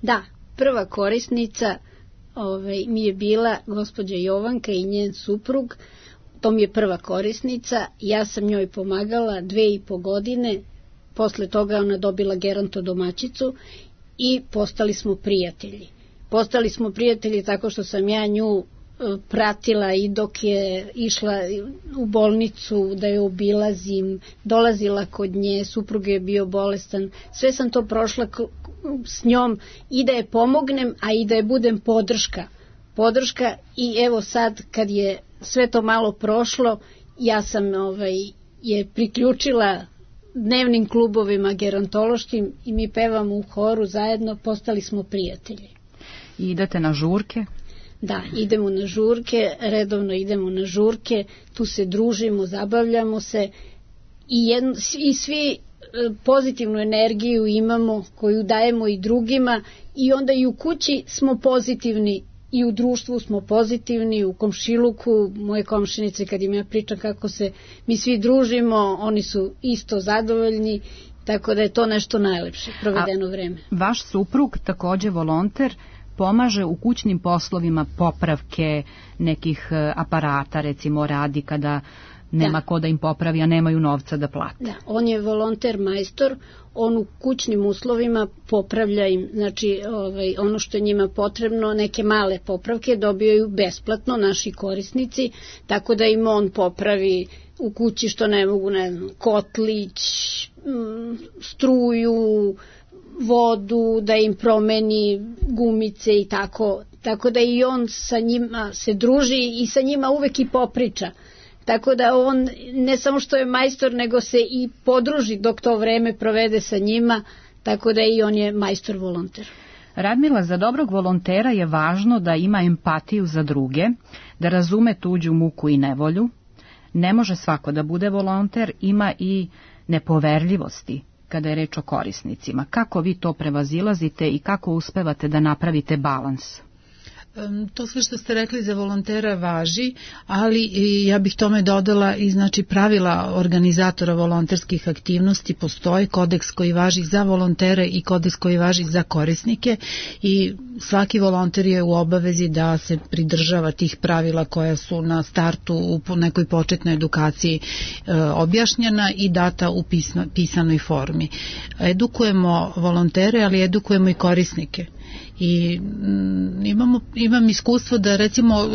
Da, prva korisnica mi je bila gospođa Jovanka i njen suprug, to mi je prva korisnica, ja sam njoj pomagala 2,5 godine, posle toga ona dobila geronto domaćicu i postali smo prijatelji. Postali smo prijatelji tako što sam ja nju pratila i dok je išla u bolnicu da je obilazim, dolazila kod nje, suprug je bio bolestan, sve sam to prošla s njom i da je pomognem, a i da je budem podrška i evo sad kad je sve to malo prošlo, ja sam je priključila dnevnim klubovima gerontološkim i mi pevamo u horu zajedno, postali smo prijatelji. I idete na žurke? Da, idemo na žurke, redovno idemo na žurke, tu se družimo, zabavljamo se i svi pozitivnu energiju imamo koju dajemo i drugima i onda i u kući smo pozitivni i u društvu smo pozitivni, u komšiluku, moje komšinice kad im ja pričam kako se mi svi družimo, oni su isto zadovoljni, tako da je to nešto najlepše provedeno vreme. Vaš suprug, takođe volonter, pomaže u kućnim poslovima popravke nekih aparata, recimo radi kada nema ko da im popravi, a nemaju novca da plate. Da, on je volonter majstor, on u kućnim uslovima popravlja im, znači ono što je njima potrebno, neke male popravke dobijaju besplatno naši korisnici, tako da im on popravi u kući što ne mogu, kotlić, struju, vodu, da im promeni gumice i tako da i on sa njima se druži i sa njima uvek i popriča. Tako da on ne samo što je majstor, nego se i podruži dok to vreme provede sa njima, tako da i on je majstor volonter. Radmila, za dobrog volontera je važno da ima empatiju za druge, da razume tuđu muku i nevolju. Ne može svako da bude volonter, ima i nepoverljivosti kada je reč o korisnicima. Kako vi to prevazilazite i kako uspevate da napravite balans? To sve što ste rekli za volontera važi, ali ja bih tome dodala i znači pravila organizatora volonterskih aktivnosti. Postoji kodeks koji važi za volontere i kodeks koji važi za korisnike i svaki volonter je u obavezi da se pridržava tih pravila koja su na startu u nekoj početnoj edukaciji objašnjena i data u pisanoj formi. Edukujemo volontere, ali edukujemo i korisnike. I imam iskustvo da recimo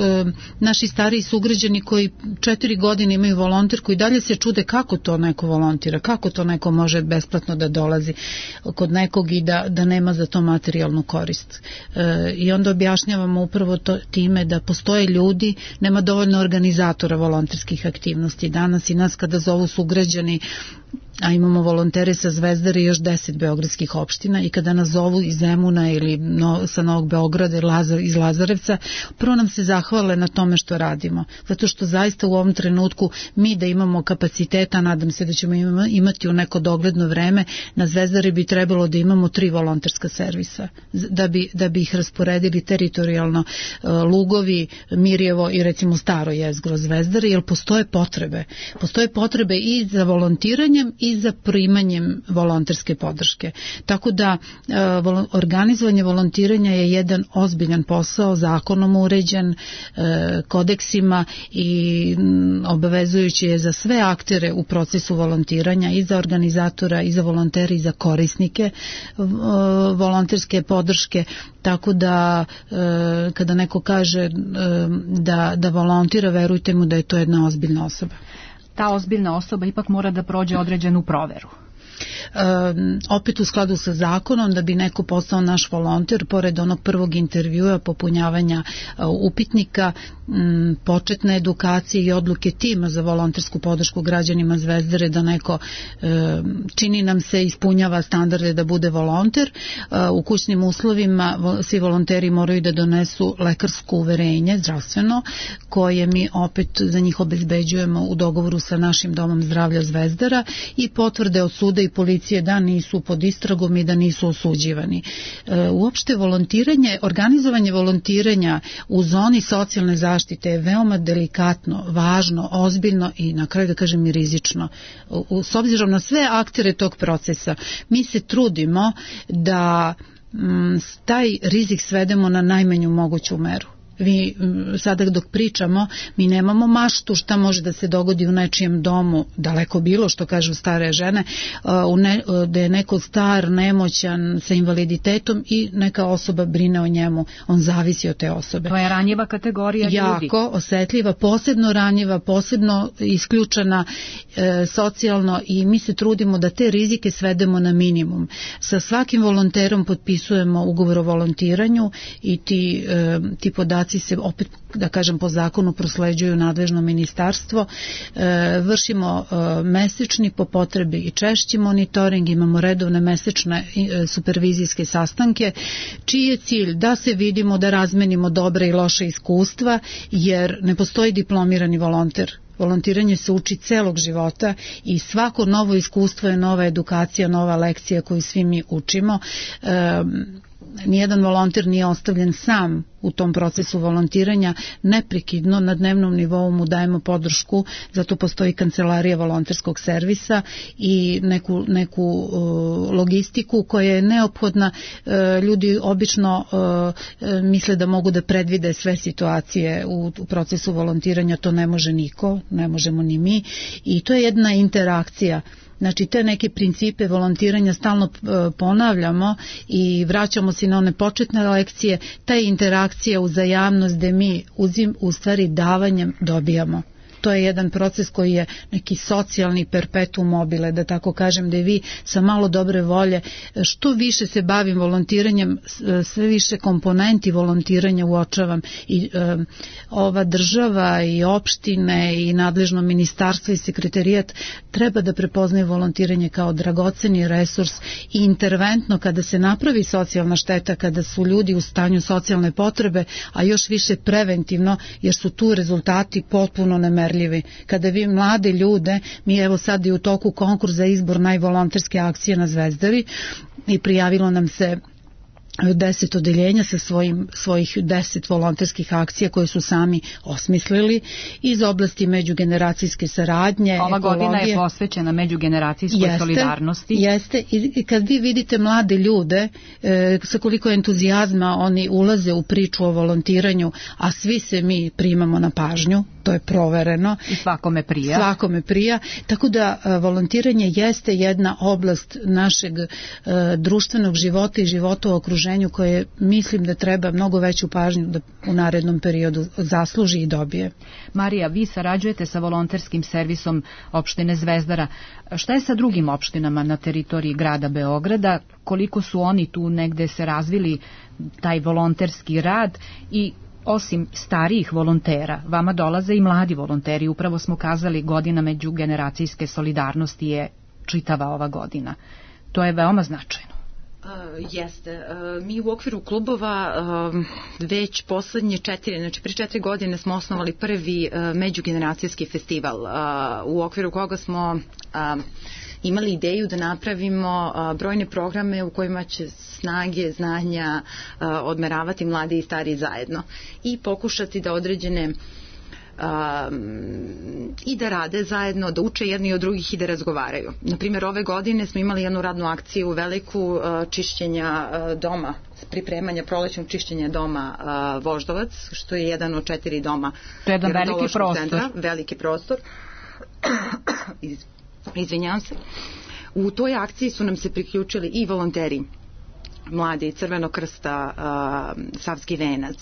naši stariji sugrađani koji 4 godine imaju volonter, koji dalje se čude kako to neko volontira, kako to neko može besplatno da dolazi kod nekog i da nema za to materijalnu korist. I onda objašnjavamo upravo time da postoje ljudi, nema dovoljno organizatora volonterskih aktivnosti. Danas i nas kada zovu sugrađani, a imamo volontere sa Zvezdare i još 10 beogradskih opština i kada nas zovu iz Zemuna ili sa Novog Beograda iz Lazarevca, prvo nam se zahvale na tome što radimo, zato što zaista u ovom trenutku mi da imamo kapaciteta, nadam se da ćemo imati u neko dogledno vreme, na Zvezdari bi trebalo da imamo 3 volonterska servisa, da bi ih rasporedili teritorijalno Lugovi, Mirjevo i recimo Staro jezgro Zvezdare, jer postoje potrebe i za volontiranjem i i za primanjem volonterske podrške. Tako da organizovanje volontiranja je jedan ozbiljan posao, zakonom uređen, kodeksima i obavezujući je za sve aktere u procesu volontiranja, i za organizatora, i za volontere, i za korisnike volonterske podrške. Tako da kada neko kaže da volontira, verujte mu da je to jedna ozbiljna osoba. Ta ozbiljna osoba ipak mora da prođe određenu proveru. Opet u skladu sa zakonom, da bi neko postao naš volonter, pored onog prvog intervjua, popunjavanja upitnika, početne edukacije i odluke tima za volontersku podršku građanima Zvezdare, da neko, čini nam se, ispunjava standarde da bude volonter. U kućnim uslovima svi volonteri moraju da donesu lekarsko uverenje, zdravstveno, koje mi opet za njih obezbeđujemo u dogovoru sa našim domom zdravlja Zvezdara, i potvrde od suda i policije da nisu pod istragom i da nisu osuđivani. Uopšte volontiranje, organizovanje volontiranja u zoni socijalne zaštite je veoma delikatno, važno, ozbiljno i na kraju da kažem i rizično. S obzirom na sve aktere tog procesa, mi se trudimo da taj rizik svedemo na najmanju moguću meru. Vi sada dok pričamo, mi nemamo maštu šta može da se dogodi u nečijem domu, daleko bilo, što kažu stare žene, da je neko star, nemoćan, sa invaliditetom i neka osoba brine o njemu, on zavisi od te osobe. To je ranjiva kategorija ljudi. Jako osetljiva, posebno ranjiva, posebno isključena socijalno, i mi se trudimo da te rizike svedemo na minimum. Sa svakim volonterom potpisujemo ugovor o volontiranju i ti podaci se opet, da kažem, po zakonu prosleđuju nadležno ministarstvo. Vršimo mesečni, po potrebi i češći monitoring, imamo redovne mesečne supervizijske sastanke, čiji je cilj da se vidimo, da razmenimo dobre i loše iskustva, jer ne postoji diplomirani volonter. Volontiranje se uči celog života i svako novo iskustvo je nova edukacija, nova lekcija koju svi mi učimo. Nijedan volonter nije ostavljen sam u tom procesu volontiranja, neprekidno na dnevnom nivou mu dajemo podršku, zato postoji kancelarija volonterskog servisa i neku logistiku koja je neophodna. Ljudi obično misle da mogu da predvide sve situacije u procesu volontiranja, to ne može niko, ne možemo ni mi, i to je jedna interakcija. Znači, te neke principe volontiranja stalno ponavljamo i vraćamo se na one početne lekcije, ta interakcija, uzajamnost, gde mi u stvari davanjem dobijamo. To je jedan proces koji je neki socijalni perpetuum mobile, da tako kažem, da vi sa malo dobre volje, što više se bavim volontiranjem, sve više komponenti volontiranja uočavam, i ova država i opštine i nadležno ministarstvo i sekretarijat treba da prepoznaju volontiranje kao dragoceni resurs i interventno kada se napravi socijalna šteta, kada su ljudi u stanju socijalne potrebe, a još više preventivno, jer su tu rezultati potpuno nemerljivi. Kada vi mlade ljude, mi evo sad i u toku konkurs za izbor najvolonterske akcije na Zvezdari, i prijavilo nam se 10 odeljenja sa svojih 10 volonterskih akcija koje su sami osmislili iz oblasti međugeneracijske saradnje, ova ekologije. Godina je posvećena međugeneracijskoj solidarnosti. Jeste, i kad vi vidite mlade ljude sa koliko entuzijazma oni ulaze u priču o volontiranju, a svi se mi primamo na pažnju, to je provereno. I svakome prija. Svakome prija, tako da volontiranje jeste jedna oblast našeg društvenog života i života u okruženju koje mislim da treba mnogo veću pažnju da u narednom periodu zasluži i dobije. Marija, vi sarađujete sa volonterskim servisom opštine Zvezdara. Šta je sa drugim opštinama na teritoriji grada Beograda? Koliko su oni tu negde se razvili taj volonterski rad? I osim starijih volontera, vama dolaze i mladi volonteri. Upravo smo kazali, godina međugeneracijske solidarnosti je čitava ova godina. To je veoma značajno. Jeste. Mi u okviru klubova već poslednje 4, znači pre 4 godine smo osnovali prvi međugeneracijski festival, u okviru koga smo imali ideju da napravimo brojne programe u kojima će snage, znanja odmeravati mladi i stari zajedno i pokušati da određene i da rade zajedno, da uče jedni od drugih i da razgovaraju. Naprimjer, ove godine smo imali jednu radnu akciju veliku čišćenja doma, pripremanja prolećnog čišćenja doma Voždovac, što je jedan od 4 doma. To je jedan veliki prostor. Centra, veliki prostor. Izvinjavam se. U toj akciji su nam se priključili i volonteri mladi Crvenog krsta, Savski venac,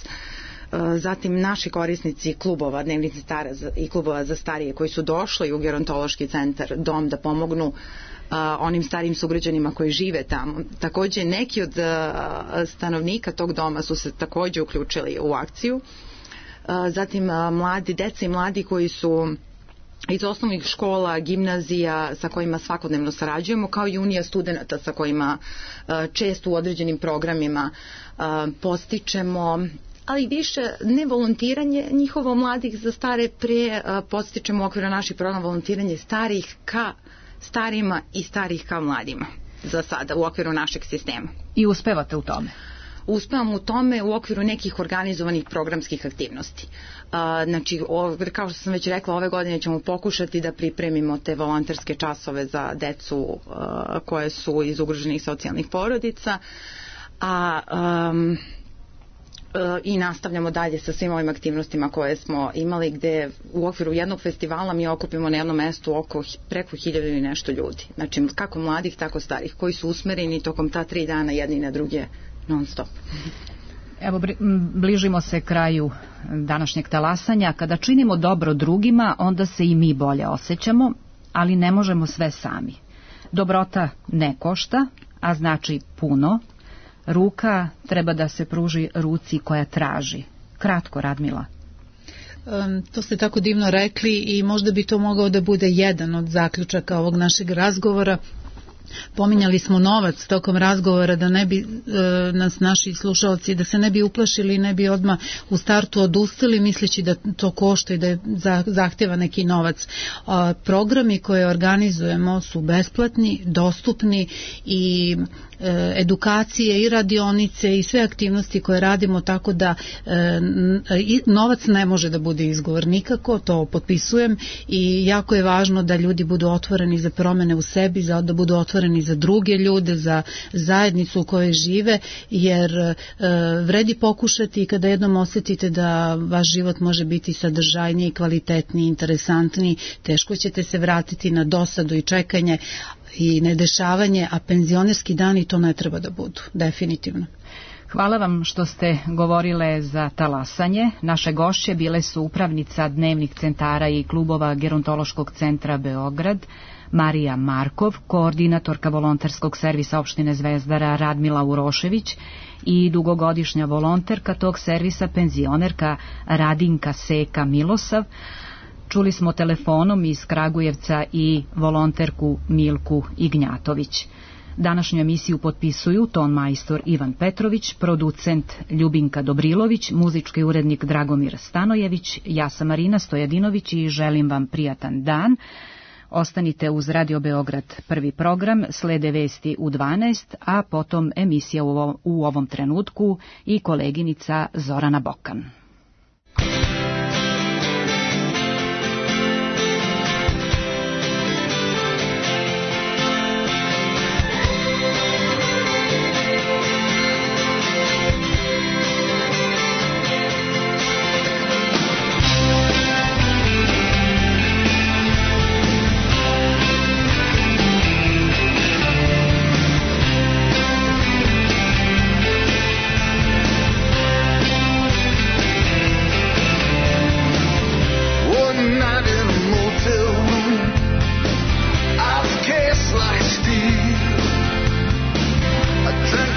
zatim naši korisnici klubova, dnevnih centara i klubova za starije koji su došli u gerontološki centar, dom, da pomognu onim starijim sugrađanima koji žive tamo. Takođe, neki od stanovnika tog doma su se takođe uključili u akciju. Zatim, deca i mladi koji su iz osnovnih škola, gimnazija sa kojima svakodnevno sarađujemo, kao i Unija studenata sa kojima često u određenim programima postičemo, ali više ne volontiranje njihovo mladih za stare, pre postičemo u okviru naših programa volontiranje starih ka starima i starih ka mladima za sada u okviru našeg sistema. I uspevate u tome? Uspevam u tome u okviru nekih organizovanih programskih aktivnosti. Znači, kao što sam već rekla, ove godine ćemo pokušati da pripremimo te volonterske časove za decu koje su iz ugroženih socijalnih porodica, i nastavljamo dalje sa svim ovim aktivnostima koje smo imali, gde u okviru jednog festivala mi okupimo na jednom mestu preko 1000 i nešto ljudi. Znači, kako mladih, tako starih, koji su usmereni tokom ta 3 dana jedni na druge non stop. Evo, bližimo se kraju današnjeg talasanja. Kada činimo dobro drugima, onda se i mi bolje osjećamo, ali ne možemo sve sami. Dobrota ne košta, a znači puno. Ruka treba da se pruži ruci koja traži. Kratko, Radmila. To ste tako divno rekli i možda bi to mogao da bude jedan od zaključaka ovog našeg razgovora. Pominjali smo novac tokom razgovora, da ne bi nas naši slušalci, da se ne bi uplašili, ne bi odmah u startu odustali misleći da to košta i da zahteva neki novac. Programi koje organizujemo su besplatni, dostupni i edukacije i radionice i sve aktivnosti koje radimo, tako da novac ne može da bude izgovor nikako, to potpisujem, i jako je važno da ljudi budu otvoreni za promene u sebi, da budu otvoreni za druge ljude, za zajednicu u kojoj žive, jer vredi pokušati i kada jednom osjetite da vaš život može biti sadržajniji, kvalitetniji, interesantniji, teško ćete se vratiti na dosadu i čekanje i nedešavanje, a penzionerski dani to ne treba da budu, definitivno. Hvala vam što ste govorile za talasanje. Naše gošće bile su upravnica dnevnih centara i klubova Gerontološkog centra Beograd, Marija Markov, koordinatorka volonterskog servisa opštine Zvezdara Radmila Urošević i dugogodišnja volonterka tog servisa, penzionerka Radinka Seka Milosav. Čuli smo telefonom iz Kragujevca i volonterku Milku Ignjatović. Današnju emisiju potpisuju ton majstor Ivan Petrović, producent Ljubinka Dobrilović, muzički urednik Dragomir Stanojević, ja sam Marina Stojadinović i želim vam prijatan dan. Ostanite uz Radio Beograd prvi program, slede vesti u 12, a potom emisija u ovom trenutku i koleginica Zorana Bokan.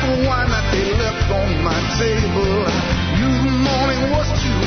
Wine that they left on my table. Knew the morning was too